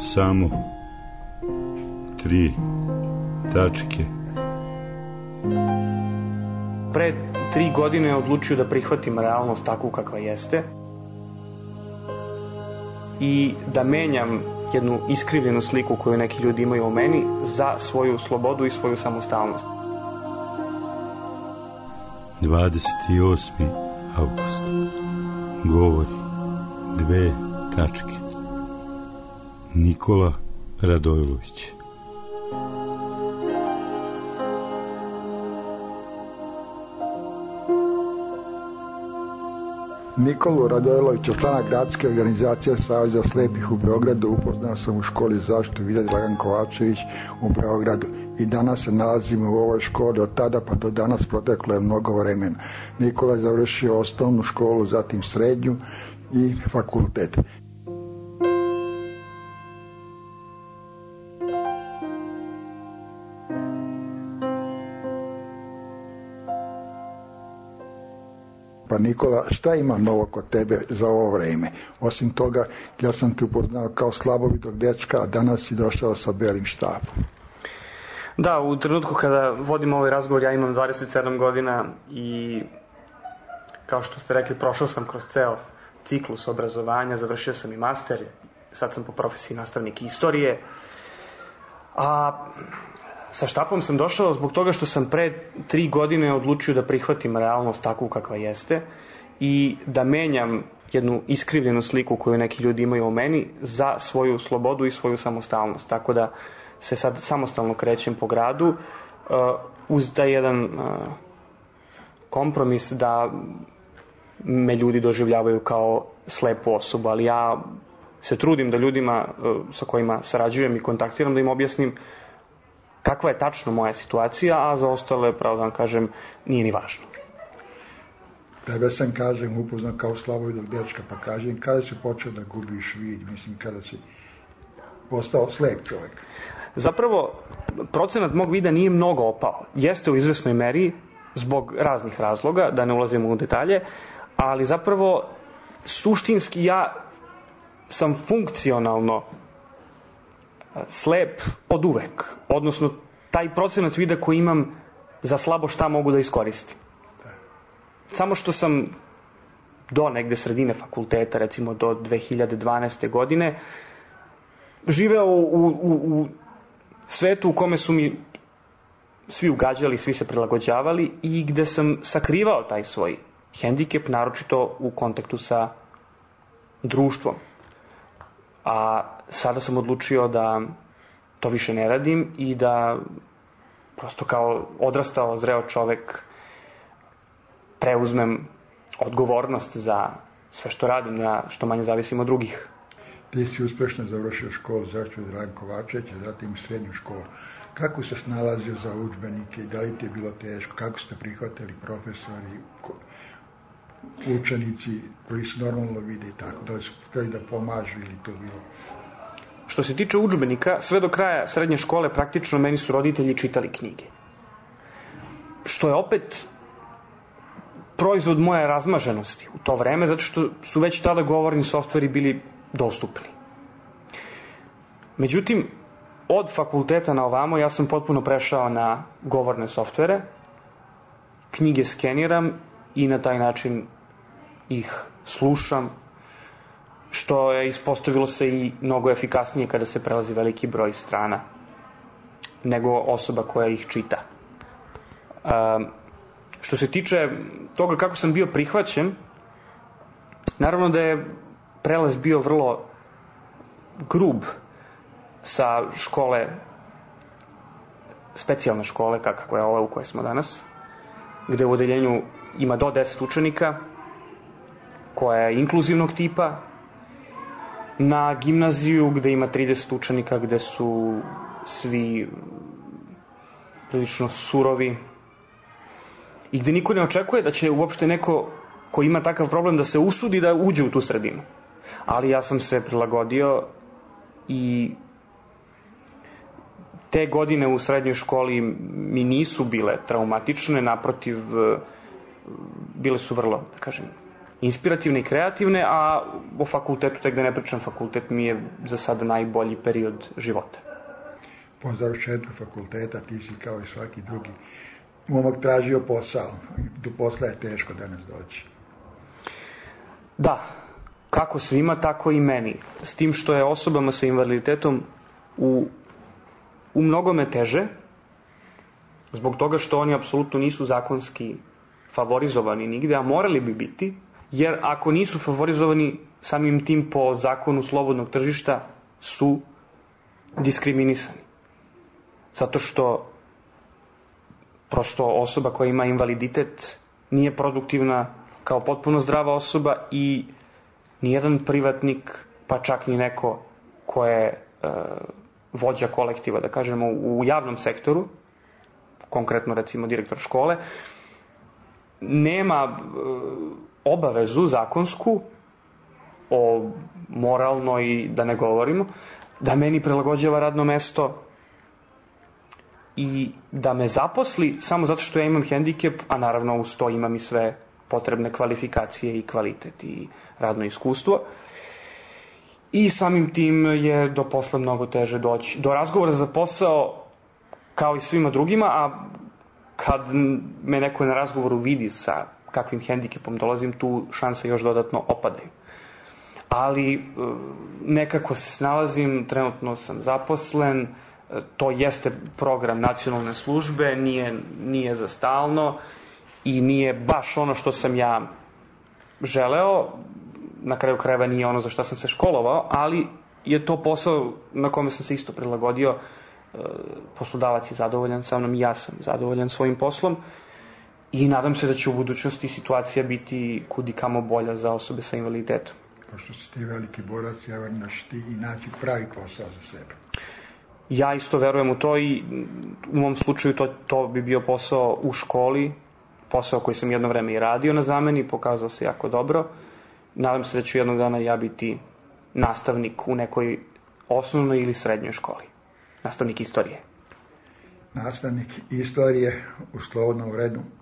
Samo 3 tačke. Pre 3 godine odlučio da prihvatim realnost takvu kakva jeste i da menjam jednu iskrivljenu sliku koju neki ljudi imaju o meni za svoju slobodu i svoju samostalnost. 28. avgust. Govori 2 tačke. Nikola Radojlović. Nikolu Radojlovića, člana gradske organizacije Saveza slepih u Beogradu, upoznao sam u školi za zaštitu vida Dragan Kovačević u Beogradu i danas se nalazimo u ovoj školi. Od tada pa do danas proteklo je mnogo vremena. Nikola je završio osnovnu školu, zatim srednju i fakultet. Pa Nikola, šta ima novo kod tebe za ovo vreme? Osim toga, ja sam te upoznao kao slabovitog dečka, a danas si došao sa belim štapom. Da, u trenutku kada vodim ovaj razgovor, ja imam 27 godina i kao što ste rekli, prošao sam kroz ceo ciklus obrazovanja, završio sam i master, sad sam po profesiji nastavnik istorije, a sa štapom sam došao zbog toga što sam pre 3 godine odlučio da prihvatim realnost takvu kakva jeste i da menjam jednu iskrivljenu sliku koju neki ljudi imaju o meni za svoju slobodu i svoju samostalnost. Tako da se sad samostalno krećem po gradu uz taj jedan kompromis da me ljudi doživljavaju kao slepu osobu, ali ja se trudim da ljudima sa kojima sarađujem i kontaktiram da im objasnim kakva je tačno moja situacija, a za ostale, pravo da vam kažem, nije ni važno. Tebe sam, kažem, upoznao kao slabovitog dečka, pa kažem, kada si počeo da gubiš vid, mislim, kada si postao slep čovjek? Zapravo, procenat mog vida nije mnogo opao. Jeste u izvesnoj meri, zbog raznih razloga, da ne ulazimo u detalje, ali zapravo, suštinski ja sam funkcionalno slep od uvek. Odnosno, taj procenat vida koji imam za slabo šta mogu da iskoristim. Samo što sam do negde sredine fakulteta, recimo do 2012. godine, živeo u svetu u kome su mi svi ugađali, svi se prilagođavali i gde sam sakrivao taj svoj hendikep, naročito u kontaktu sa društvom. A sada sam odlučio da to više ne radim i da prosto kao odrastao, zreo čovek preuzmem odgovornost za sve što radim, da što manje zavisim od drugih. Ti si uspešno završio školu za zaštitu Dragan Kovačević, a zatim srednju školu. Kako se snalazio za udžbenike i da li ti je bilo teško? Kako ste prihvatili profesori, učenici koji su normalno vide i tako? Da li su htjeli da pomažu ili to bilo? Što se tiče udžbenika, sve do kraja srednje škole praktično meni su roditelji čitali knjige. Što je opet proizvod moje razmaženosti u to vreme, zato što su već tada govorni softveri bili dostupni. Međutim, od fakulteta na ovamo ja sam potpuno prešao na govorne softvere, knjige skeniram i na taj način ih slušam, što je ispostavilo se i mnogo efikasnije kada se prelazi veliki broj strana nego osoba koja ih čita. Što se tiče toga kako sam bio prihvaćen, naravno da je prelaz bio vrlo grub sa škole, specijalne škole, kako je ova u kojoj smo danas, gde u odeljenju ima do 10 učenika, koja je inkluzivnog tipa, na gimnaziju gde ima 30 učenika, gde su svi prilično surovi i gde niko ne očekuje da će uopšte neko ko ima takav problem da se usudi da uđe u tu sredinu. Ali ja sam se prilagodio i te godine u srednjoj školi mi nisu bile traumatične, naprotiv, bile su vrlo, da kažem, inspirativne i kreativne, a o fakultetu, tek da ne pričam, fakultet mi je za sada najbolji period života. Po završetku fakulteta ti si kao i svaki drugi momak tražio posao. Do posla je teško danas doći. Da, kako svima, tako i meni. S tim što je osobama sa invaliditetom u mnogome teže, zbog toga što oni apsolutno nisu zakonski favorizovani nigde, a morali bi biti, jer ako nisu favorizovani, samim tim po zakonu slobodnog tržišta su diskriminisani. Zato što prosto osoba koja ima invaliditet nije produktivna kao potpuno zdrava osoba i nijedan privatnik, pa čak ni neko ko je vođa kolektiva, da kažemo, u javnom sektoru, konkretno recimo direktor škole, nema obavezu zakonsku o moralnoj, da ne govorimo, da meni prilagođava radno mesto i da me zaposli samo zato što ja imam hendikep, a naravno uz to imam i sve potrebne kvalifikacije i kvalitet i radno iskustvo. I samim tim je do posla mnogo teže doći. Do razgovora za posao, kao i svima drugima, a kad me neko na razgovoru vidi sa kakvim hendikepom dolazim, tu šanse još dodatno opadaju. Ali nekako se snalazim, trenutno sam zaposlen, to jeste program nacionalne službe, nije za stalno i nije baš ono što sam ja želeo, na kraju krajeva nije ono za što sam se školovao, ali je to posao na kome sam se isto prilagodio. Poslodavac je zadovoljan sa mnom i ja sam zadovoljan svojim poslom i nadam se da će u budućnosti situacija biti kudikamo bolja za osobe sa invaliditetom. Pošto si ti veliki borac, ja verujem da ćeš ti i naći pravi posao za sebe. Ja isto verujem u to i u mom slučaju to bi bio posao u školi, posao koji sam jedno vreme i radio na zameni, pokazao se jako dobro. Nadam se da ću jednog dana ja biti nastavnik u nekoj osnovnoj ili srednjoj školi. Nastavnik istorije. Nastavnik istorije u slobodnom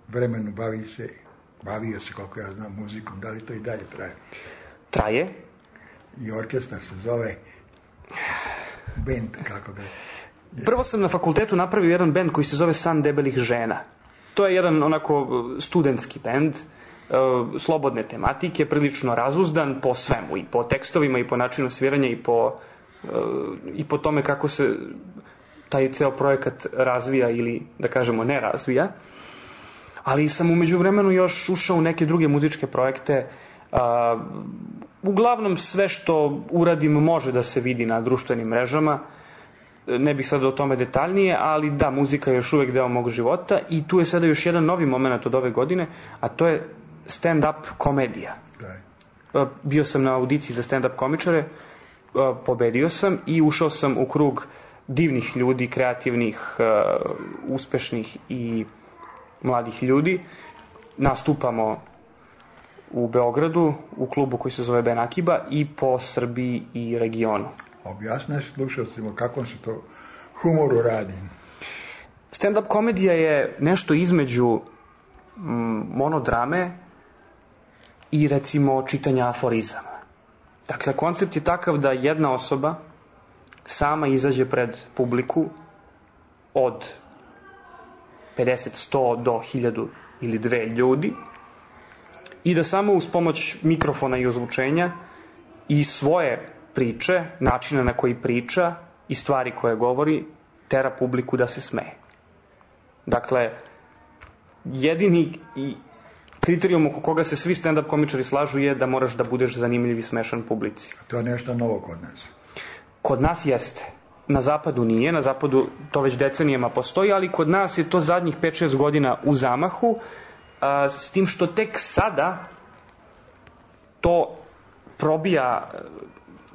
vremenu bavio se, koliko ja znam, muzikom. Da li to i dalje traje? Traje. I orkestar se zove bend, kako ga je. Prvo sam na fakultetu napravio jedan bend koji se zove San debelih žena. To je jedan onako studentski bend, slobodne tematike, prilično razuzdan po svemu, i po tekstovima, i po načinu sviranja, i po tome kako se taj ceo projekat razvija ili, da kažemo, ne razvija. Ali sam u međuvremenu još ušao u neke druge muzičke projekte. Uglavnom sve što uradim može da se vidi na društvenim mrežama. Ne bih sad o tome detaljnije, ali da, muzika je još uvek deo mog života i tu je sada još jedan novi moment od ove godine, a to je stand-up komedija. Bio sam na audiciji za stand-up komičare, pobedio sam i ušao sam u krug divnih ljudi, kreativnih, uspešnih i mladih ljudi. Nastupamo u Beogradu, u klubu koji se zove Ben Akiba, i po Srbiji i regionu. Objasnaš slušalcima kakvom se to humoru radi? Stand-up komedija je nešto između monodrame i, recimo, čitanja aforizama. Dakle, koncept je takav da jedna osoba sama izađe pred publiku od 50, 100 do 1000 ili 2 ljudi i da samo uz pomoć mikrofona i ozvučenja i svoje priče, načina na koji priča i stvari koje govori, tera publiku da se smeje. Dakle, jedini kriterijum oko koga se svi stand-up komičari slažu je da moraš da budeš zanimljiv i smešan publici. To je nešto novo kod nas. Kod nas jeste. Na zapadu nije, na zapadu to već decenijama postoji, ali kod nas je to zadnjih 5-6 godina u zamahu, s tim što tek sada to probija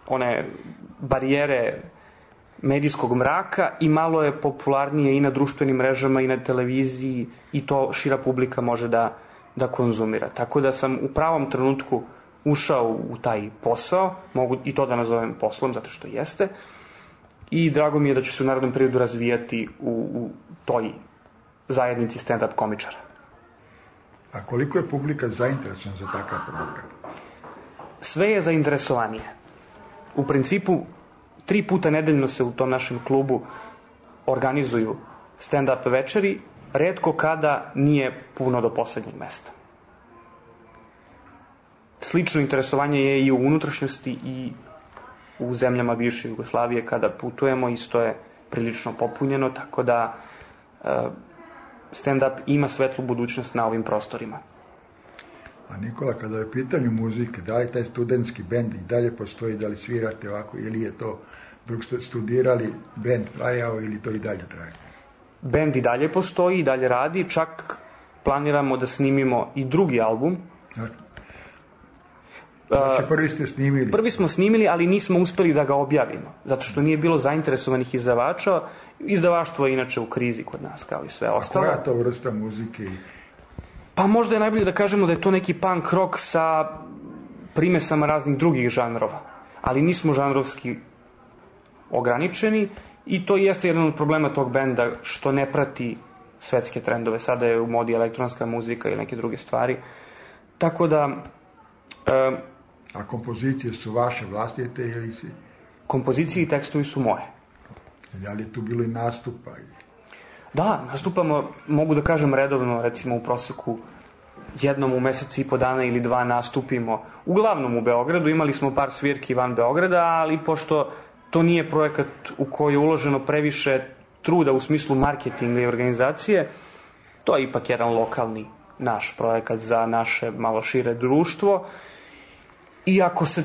one barijere medijskog mraka i malo je popularnije i na društvenim mrežama i na televiziji i to šira publika može da konzumira. Tako da sam u pravom trenutku ušao u taj posao, mogu i to da nazovem poslom, zato što jeste, i drago mi je da ću se u narednom periodu razvijati u toj zajednici stand-up komičara. A koliko je publika zainteresovana za takav program? sve je zainteresovanije. U principu, 3 puta nedeljno se u tom našem klubu organizuju stand-up večeri, retko kada nije puno do poslednjeg mesta. Slično interesovanje je i u unutrašnjosti i u zemljama bivše Jugoslavije kada putujemo, isto je prilično popunjeno, tako da stand-up ima svetlu budućnost na ovim prostorima. A Nikola, kada je pitanje muzike, da li taj studentski bend i dalje postoji, da li svirate ovako, ili je to dok ste studirali bend trajao ili to i dalje traje? Bend i dalje postoji, i dalje radi, čak planiramo da snimimo i drugi album. Znači prvi ste snimili? Prvi smo snimili, ali nismo uspeli da ga objavimo, zato što nije bilo zainteresovanih izdavača. Izdavaštvo je inače u krizi kod nas, kao i sve ostalo. A koja je to vrsta muzike? Pa možda je najbolje da kažemo da je to neki punk rock sa primesama raznih drugih žanrova, ali nismo žanrovski ograničeni i to jeste jedan od problema tog benda, što ne prati svetske trendove. Sada je u modi elektronska muzika ili neke druge stvari. Tako da... A kompozicije su vaše vlastite ili si? Kompozicije i tekstovi su moje. Da li je tu bilo i nastupa? Da, nastupamo, mogu da kažem redovno, recimo u proseku jednom u mesec i po dana ili 2 nastupimo. Uglavnom u Beogradu, imali smo par svirki van Beograda, ali pošto to nije projekat u koji je uloženo previše truda u smislu marketinga i organizacije, to je ipak jedan lokalni naš projekat za naše malo šire društvo. I ako se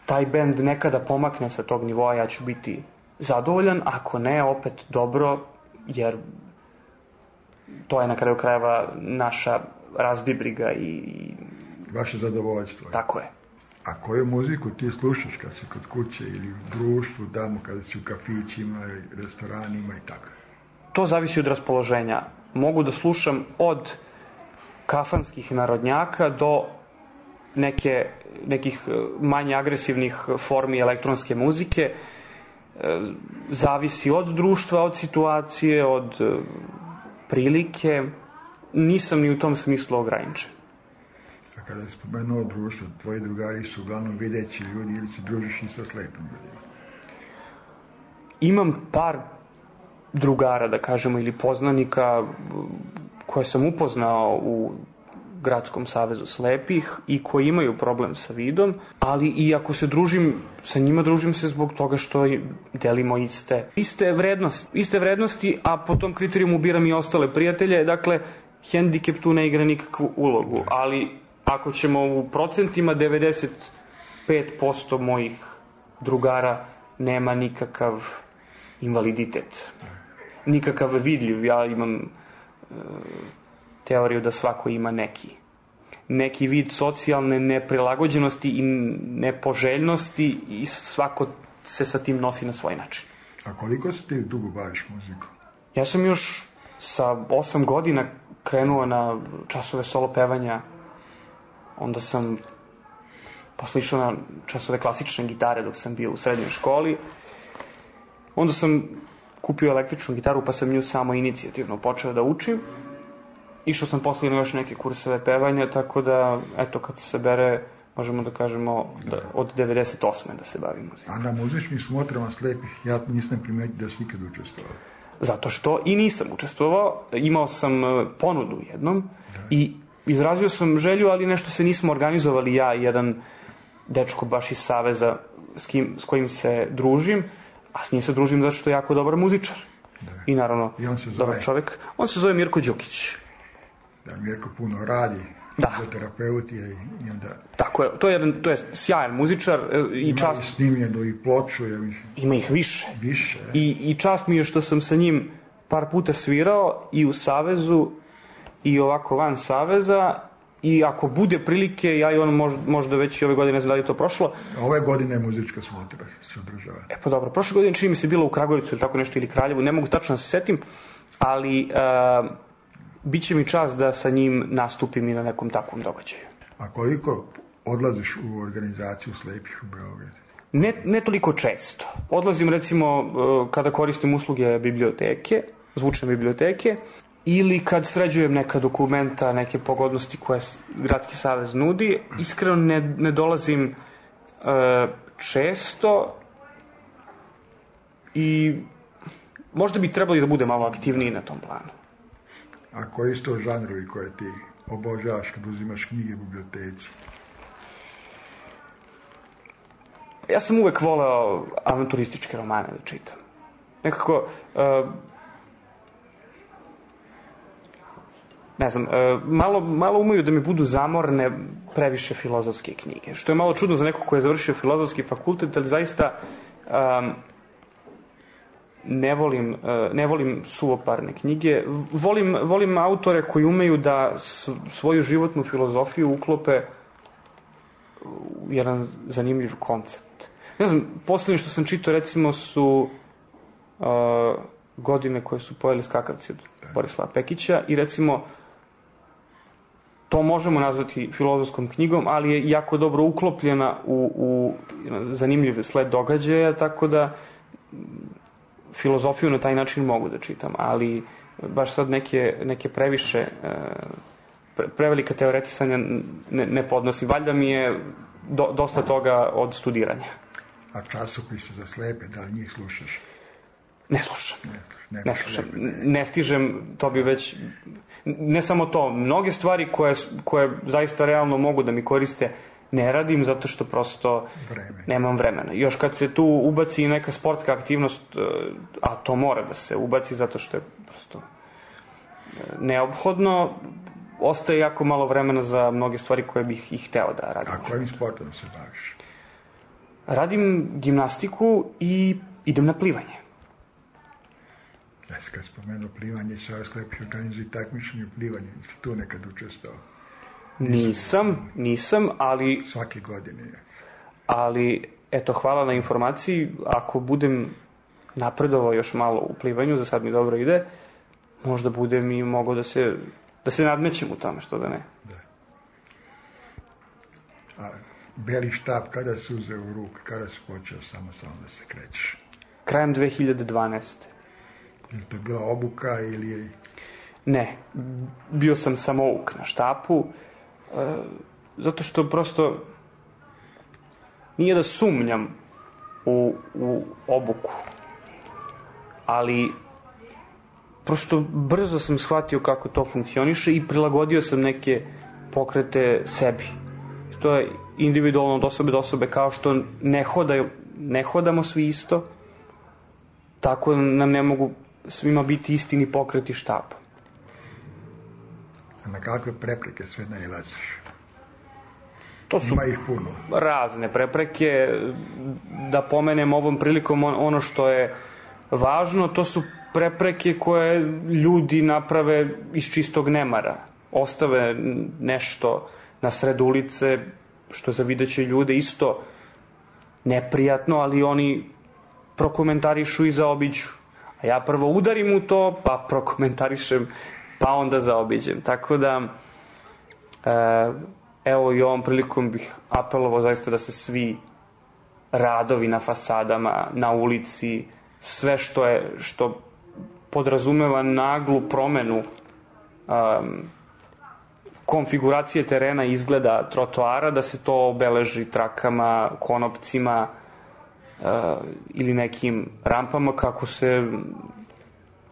taj bend nekada pomakne sa tog nivoa, ja ću biti zadovoljan, ako ne, opet dobro, jer to je na kraju krajeva naša razbibriga i... Vaše zadovoljstvo. Tako je. A koju muziku ti slušaš kad si kod kuće ili u društvu, tamo kada si u kafićima ili restoranima i tako? To zavisi od raspoloženja. Mogu da slušam od kafanskih narodnjaka do nekih manje agresivnih formi elektronske muzike. Zavisi od društva, od situacije, od prilike. Nisam ni u tom smislu ograničen. A kada je spomenuo društvo, tvoji drugari su uglavnom videći ljudi ili se družiš i sa slepim ljudima? Imam par drugara, da kažemo, ili poznanika koje sam upoznao u Gradskom savezu slepih i koji imaju problem sa vidom, ali i ako se družim sa njima, družim se zbog toga što delimo iste vrednosti, a po tom kriterijumu biram i ostale prijatelje. Dakle, hendikep tu ne igra nikakvu ulogu, ali ako ćemo u procentima, 95% mojih drugara nema nikakav invaliditet, nikakav vidljiv. Ja imam teoriju da svako ima neki vid socijalne neprilagođenosti i nepoželjnosti i svako se sa tim nosi na svoj način. A koliko se ti dugo baviš muzikom? Ja sam još sa 8 godina krenuo na časove solo pevanja, onda sam posle išao na časove klasične gitare dok sam bio u srednjoj školi, onda sam kupio električnu gitaru pa sam nju samo inicijativno počeo da učim. Išao sam posle na još neke kurseve pevanja, tako da, eto, kad se bere, možemo da kažemo od 98. da se bavim muzikom. A na muzičkim smotrama slepih ja nisam primetio da si nikad učestvovao. Zato što i nisam učestvovao, imao sam ponudu jednom i izrazio sam želju, ali nešto se nismo organizovali, ja i jedan dečko baš iz Saveza s kojim se družim, a s njim se družim zato što je jako dobar muzičar. I naravno, dobar čovjek. On se zove Mirko Đukić. Da, Mirko puno radi, fizioterapeut je i onda... Tako je, to je sjajan muzičar. Ima i snimljenu i ploču. Ima ih više. Više. I čast mi je što sam sa njim par puta svirao i u Savezu i ovako van Saveza, i ako bude prilike, ja i on možda već i ove godine, ne znam da li je to prošlo. Ove godine je muzička smotra se održava. Pa dobro, prošle godine čini mi se bilo u Kragujevcu ili tako nešto, ili Kraljevu, ne mogu tačno da se setim, ali bit će mi čast da sa njim nastupim i na nekom takvom događaju. A koliko odlaziš u organizaciju slepih u Beogradu? Ne toliko često. Odlazim recimo kada koristim usluge biblioteke, zvučne biblioteke, ili kad sređujem neka dokumenta, neke pogodnosti koje Gradski savez nudi. Iskreno ne dolazim često i možda bi trebali da bude malo aktivniji na tom planu. A koji su to žanrovi koje ti obožavaš kad uzimaš knjige u biblioteci? Ja sam uvek voleo avanturističke romane da čitam. Nekako, ne znam, malo umeju da mi budu zamorne previše filozofske knjige, što je malo čudno za neko ko je završio filozofski fakultet, ali zaista ne volim suvoparne knjige. Volim autore koji umeju da svoju životnu filozofiju uklope u jedan zanimljiv koncept. Ne znam, poslednje što sam čitao recimo su Godine koje su pojeli skakavci od Borislava Pekića i recimo to možemo nazvati filozofskom knjigom, ali je jako dobro uklopljena u zanimljiv sled događaja, tako da filozofiju na taj način mogu da čitam, ali baš sad neke previše prevelika teoretisanja ne podnosim. Valjda mi je dosta toga od studiranja. A časopise za slepe, da li njih slušaš? Ne slušam. Ne stižem, to bi već... Ne samo to, mnoge stvari koje zaista realno mogu da mi koriste ne radim zato što prosto nemam vremena. Još kad se tu ubaci i neka sportska aktivnost, a to mora da se ubaci zato što je prosto neophodno, ostaje jako malo vremena za mnoge stvari koje bih i hteo da radim. A kojim sportom se baviš? Radim gimnastiku i idem na plivanje. Kad spomenuo plivanje, Savez slepih organizuje takmičenje u plivanju. Jesi tu nekad učestvovao? Nisam, ali... Svake godine je. Ali, eto, hvala na informaciji. Ako budem napredovao još malo u plivanju, za sad mi dobro ide, možda budem i mogao da se nadmećem u tome, što da ne. Da. A beli štab, kada si uzeo u ruku, kada si počeo samostalno da se krećeš? Krajem 2012. Je to bila obuka ili je... Ne, bio sam samouk na štapu, zato što prosto nije da sumnjam u obuku, ali prosto brzo sam shvatio kako to funkcioniše i prilagodio sam neke pokrete sebi. To je individualno od osobe do osobe, kao što ne hodamo svi isto, tako nam ne mogu svima biti istini pokreti štapa. A na kakve prepreke sve nailaziš? To su ima ih puno. Razne prepreke. Da pomenem ovom prilikom ono što je važno, to su prepreke koje ljudi naprave iz čistog nemara. Ostave nešto na sred ulice, što za videće ljude isto neprijatno, ali oni prokomentarišu i zaobiđu. A ja prvo udarim u to, pa prokomentarišem, pa onda zaobiđem. Tako da, evo i ovom prilikom bih apelovao zaista da se svi radovi na fasadama, na ulici, sve što podrazumeva naglu promenu konfiguracije terena i izgleda trotoara, da se to obeleži trakama, konopcima ili nekim rampama kako se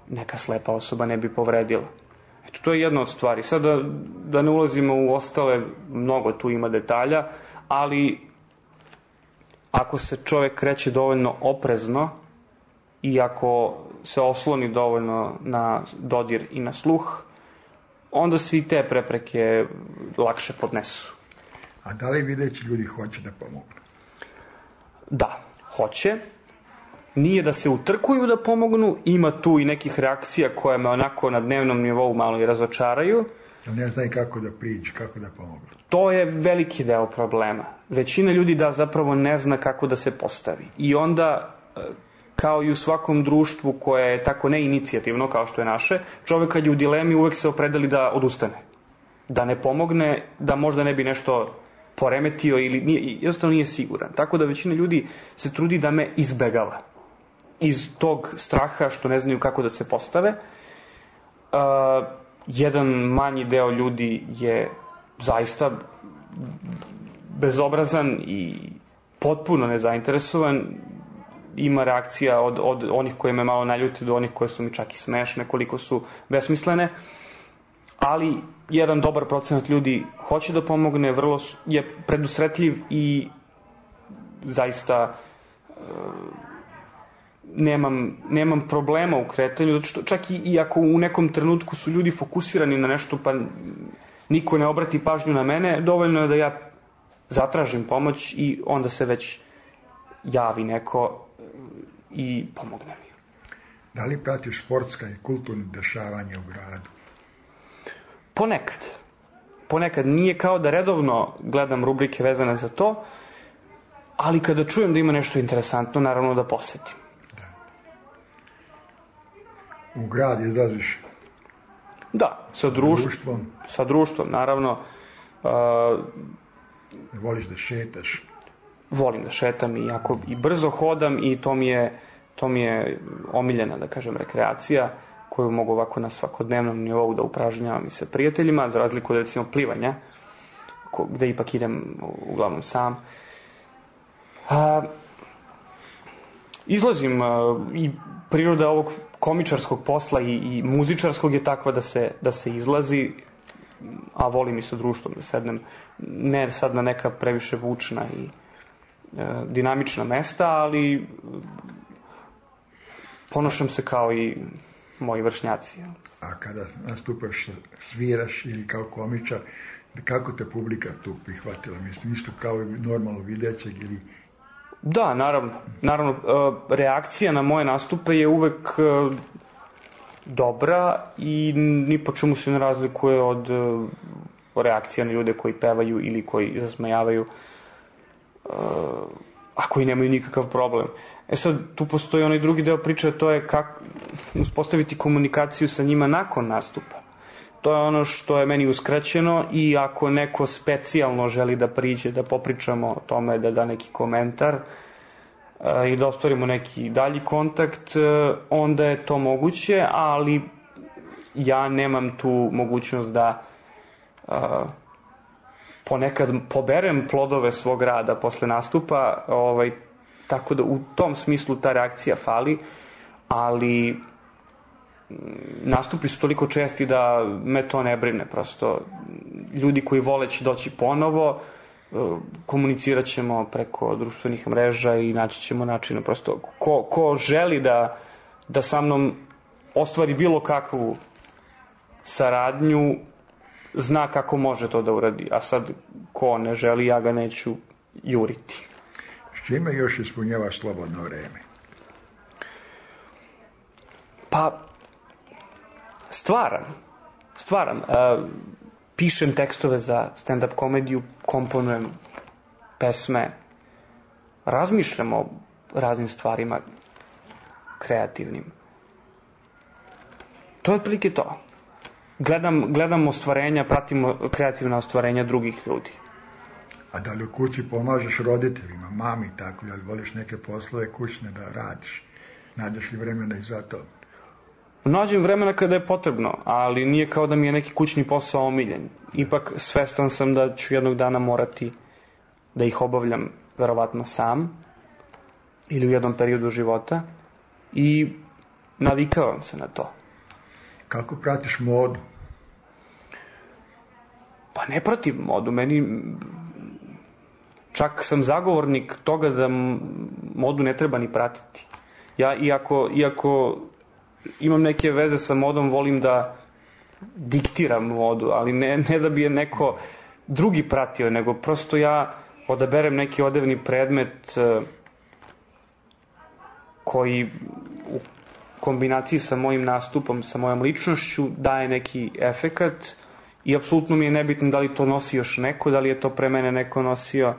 neka slepa osoba ne bi povredila. Eto, to je jedna od stvari. Sad da ne ulazimo u ostale, mnogo tu ima detalja, ali ako se čovek kreće dovoljno oprezno i ako se osloni dovoljno na dodir i na sluh, onda se i te prepreke lakše podnesu. A da li videći ljudi hoće da pomognu? Da, hoće. Nije da se utrkuju da pomognu, ima tu i nekih reakcija koje me onako na dnevnom nivou malo i razočaraju. Ali ne znaju kako da priđu, kako da pomognu. To je veliki deo problema. Većina ljudi zapravo ne zna kako da se postavi. I onda, kao i u svakom društvu koje je tako neinicijativno kao što je naše, čovek kad je u dilemi uvek se opredeli da odustane. Da ne pomogne, da možda ne bi nešto poremetio ili jednostavno nije siguran. Tako da većina ljudi se trudi da me izbegava. Iz tog straha što ne znaju kako da se postave. jedan manji deo ljudi je zaista bezobrazan i potpuno nezainteresovan. Ima reakcija od onih koje me malo naljuti do onih koje su mi čak i smešne, koliko su besmislene. Ali jedan dobar procenat ljudi hoće da pomogne, vrlo je predusretljiv i zaista nemam problema u kretanju, zato što čak i ako u nekom trenutku su ljudi fokusirani na nešto pa niko ne obrati pažnju na mene, dovoljno je da ja zatražim pomoć i onda se već javi neko i pomogne mi. Da li pratiš sportska i kulturne dešavanja u gradu? Ponekad. Nije kao da redovno gledam rubrike vezane za to, ali kada čujem da ima nešto interesantno, naravno da posetim. Da. U grad izlaziš? Da, sa društvom. Sa društvom, naravno. Voliš da šetaš? Volim da šetam i brzo hodam i to mi je omiljena, da kažem, rekreacija koju mogu ovako na svakodnevnom nivou da upražnjavam i sa prijateljima, za razliku od recimo plivanja, gde ipak idem uglavnom sam. Izlazim i priroda ovog komičarskog posla i muzičarskog je takva da se izlazi, a volim i sa društvom da sednem, ne sad na neka previše vučna i dinamična mesta, ali ponošam se kao i moji vršnjaci. A kada nastupaš, sviraš ili kao komičar, kako te publika tu prihvatila? Mislim, isto kao i normalno videćeg ili... Da, naravno, reakcija na moje nastupe je uvek dobra i ni po čemu se ne razlikuje od reakcija na ljude koji pevaju ili koji zasmejavaju, a koji nemaju nikakav problem. Sad, tu postoji onaj drugi deo priče, to je kako uspostaviti komunikaciju sa njima nakon nastupa. To je ono što je meni uskraćeno i ako neko specijalno želi da priđe, da popričamo o tome, da da neki komentar i da ostvarimo neki dalji kontakt, onda je to moguće, ali ja nemam tu mogućnost da ponekad poberem plodove svog rada posle nastupa, tako da u tom smislu ta reakcija fali, ali nastupi su toliko česti da me to ne brine, prosto ljudi koji vole će doći ponovo, komunicirat ćemo preko društvenih mreža i naći ćemo načina, prosto ko želi da sa mnom ostvari bilo kakvu saradnju, zna kako može to da uradi, a sad ko ne želi, ja ga neću juriti. S čime još ispunjavaš slobodno vreme? Pa, stvaram. Pišem tekstove za stand-up komediju, komponujem pesme, razmišljam o raznim stvarima kreativnim. To je otprilike to. Gledam ostvarenja, pratim kreativna ostvarenja drugih ljudi. A da li u kući pomažeš roditeljima, mami i tako, da li voliš neke poslove kućne da radiš? Nađeš li vremena i za to? Nađem vremena kada je potrebno, ali nije kao da mi je neki kućni posao omiljen. Ipak svestan sam da ću jednog dana morati da ih obavljam verovatno sam ili u jednom periodu života i navikavam se na to. Kako pratiš modu? Pa ne pratim modu, meni čak sam zagovornik toga da modu ne treba ni pratiti. Ja iako imam neke veze sa modom, volim da diktiram modu, ali ne da bi je neko drugi pratio, nego prosto ja odaberem neki odevni predmet koji u kombinaciji sa mojim nastupom, sa mojom ličnošću daje neki efekat i apsolutno mi je nebitno da li to nosi još neko, da li je to pre mene neko nosio.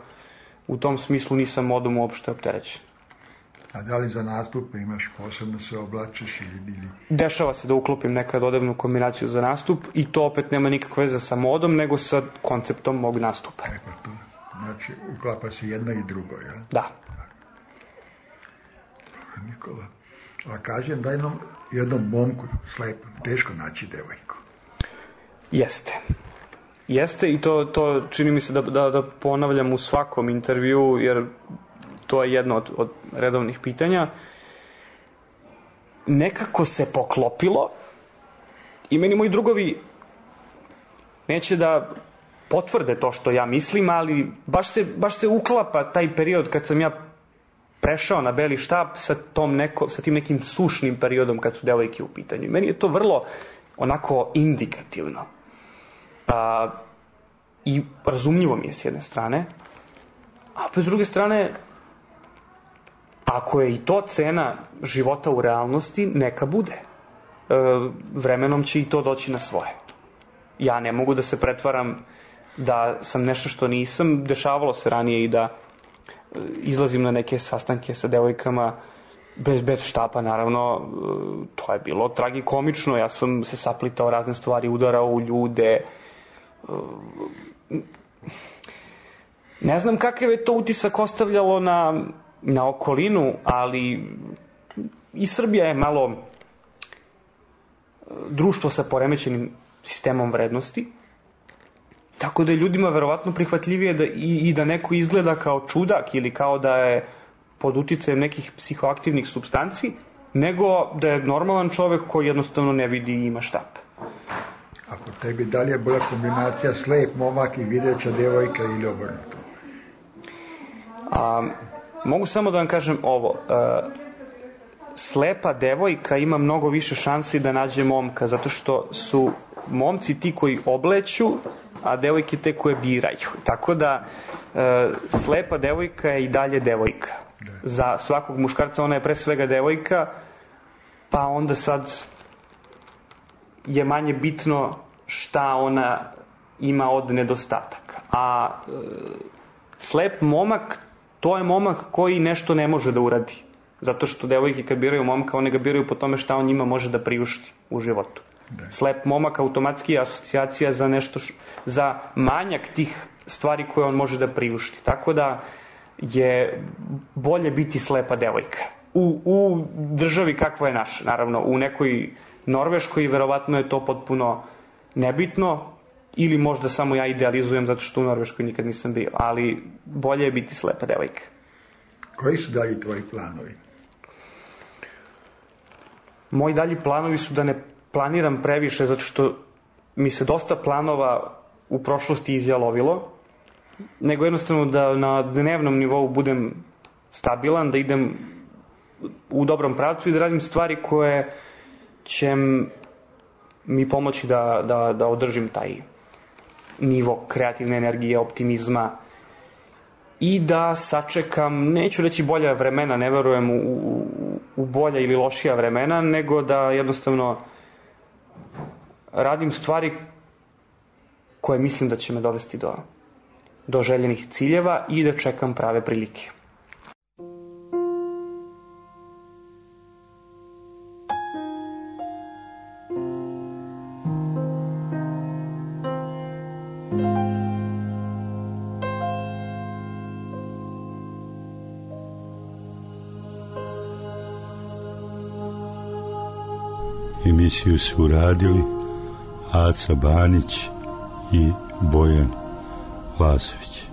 U tom smislu nisam modom uopšte opterećen. A da li za nastupe imaš posebno se oblačiš ili... Dešava se da uklopim nekad odevnu kombinaciju za nastup i to opet nema nikakve veze sa modom, nego sa konceptom mog nastupa. Pa to. Znači, uklapa se jedno i drugo, ja? Da. Nikola, A kažem da jednom momku slepom teško naći devojku. Jeste i to čini mi se da ponavljam u svakom intervju, jer to je jedno od redovnih pitanja. Nekako se poklopilo i meni moji drugovi neće da potvrde to što ja mislim, ali baš se uklapa taj period kad sam ja prešao na beli štab sa tim nekim sušnim periodom kad su devojke u pitanju. Meni je to vrlo onako indikativno. I razumljivo mi je s jedne strane, a s druge strane, ako je i to cena života u realnosti, neka bude. Vremenom će i to doći na svoje. Ja ne mogu da se pretvaram da sam nešto što nisam. Dešavalo se ranije i da izlazim na neke sastanke sa devojkama bez štapa, naravno. To je bilo tragikomično. Ja sam se saplitao razne stvari, udarao u ljude. Ne znam kakav je to utisak ostavljalo na okolinu, ali i Srbija je malo društvo sa poremećenim sistemom vrednosti, tako da je ljudima verovatno prihvatljivije da neko izgleda kao čudak ili kao da je pod uticajem nekih psihoaktivnih supstanci, nego da je normalan čovek koji jednostavno ne vidi i ima štap. Ako tebi dalje bolja kombinacija slep momak i videća devojka ili obrnuto? Mogu samo da vam kažem ovo. Slepa devojka ima mnogo više šansi da nađe momka, zato što su momci ti koji obleću, a devojke te koje biraju. Tako da slepa devojka je i dalje devojka. Za svakog muškarca ona je pre svega devojka, pa onda sad je manje bitno šta ona ima od nedostataka. A slep momak, to je momak koji nešto ne može da uradi. Zato što devojke kad biraju momka, one ga biraju po tome šta on njima može da priušti u životu. Slep momak automatski je asocijacija za nešto, za manjak tih stvari koje on može da priušti. Tako da je bolje biti slepa devojka. U državi kakva je naša, naravno, u nekoj Norveškoj verovatno je to potpuno nebitno, ili možda samo ja idealizujem zato što u Norveškoj nikad nisam bio, ali bolje je biti slepa devojka. Koji su dalji tvoji planovi? Moji dalji planovi su da ne planiram previše, zato što mi se dosta planova u prošlosti izjalovilo, nego jednostavno da na dnevnom nivou budem stabilan, da idem u dobrom pravcu i da radim stvari koje će mi pomoći da održim taj nivo kreativne energije, optimizma i da sačekam, neću reći bolja vremena, ne verujem u bolja ili lošija vremena, nego da jednostavno radim stvari koje mislim da će me dovesti do željenih ciljeva i da čekam prave prilike. Emisiju su uradili Aca Banić i Bojan Lasović.